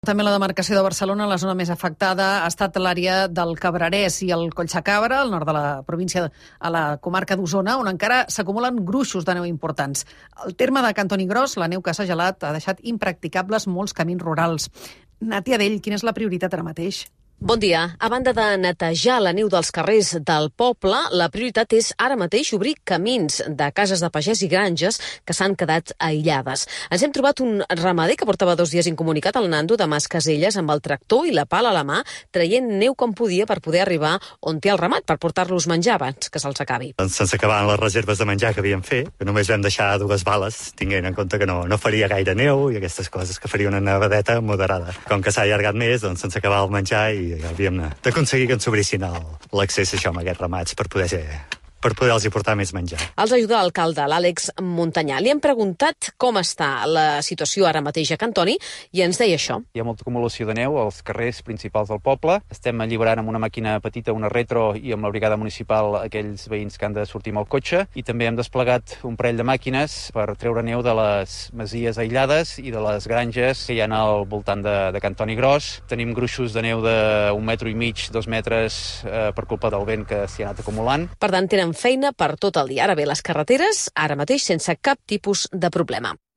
També la demarcació de Barcelona, la zona més afectada, ha estat l'àrea del Cabrerès i el Collsacabra, al nord de la província, a la comarca d'Osona, on encara s'acumulen gruixos de neu importants. Al terme de Cantoni Gros, la neu que s'ha gelat ha deixat impracticables molts camins rurals. Nàtia Dell, quina és la prioritat ara mateix? Bon dia. A banda de netejar la neu dels carrers del poble, la prioritat és ara mateix obrir camins de cases de pagès i granges que s'han quedat aïllades. Ens hem trobat un ramader que portava 2 dies incomunicat, el Nando de Mas Caselles, amb el tractor i la pala a la mà, traient neu com podia per poder arribar on té el ramat, per portar-los menjar abans que se'ls acabi. Se'ns acabaven les reserves de menjar que havíem fet, que només vam deixar 2 bales, tinguent en compte que no faria gaire neu i aquestes coses, que faria una nevadeta moderada. Com que s'ha allargat més, doncs se'ns acabava el menjar i havíem d'aconseguir que ens obrissin l'accés a aquests ramats per poder-los portar més menjar. Els ajuda l'alcalde, l'Àlex Montanyà. Li hem preguntat com està la situació ara mateix a Cantoni i ens deia això. Hi ha molta acumulació de neu als carrers principals del poble. Estem alliberant amb una màquina petita, una retro, i amb la brigada municipal aquells veïns que han de sortir amb el cotxe. I també hem desplegat un parell de màquines per treure neu de les masies aïllades i de les granges que hi ha al voltant de Cantoni Gros. Tenim gruixos de neu d'1,5 metres, 2 metres per culpa del vent que s'hi ha anat acumulant. Per tant, tenen feina per tot el dia. Ara bé, les carreteres, ara mateix sense cap tipus de problema.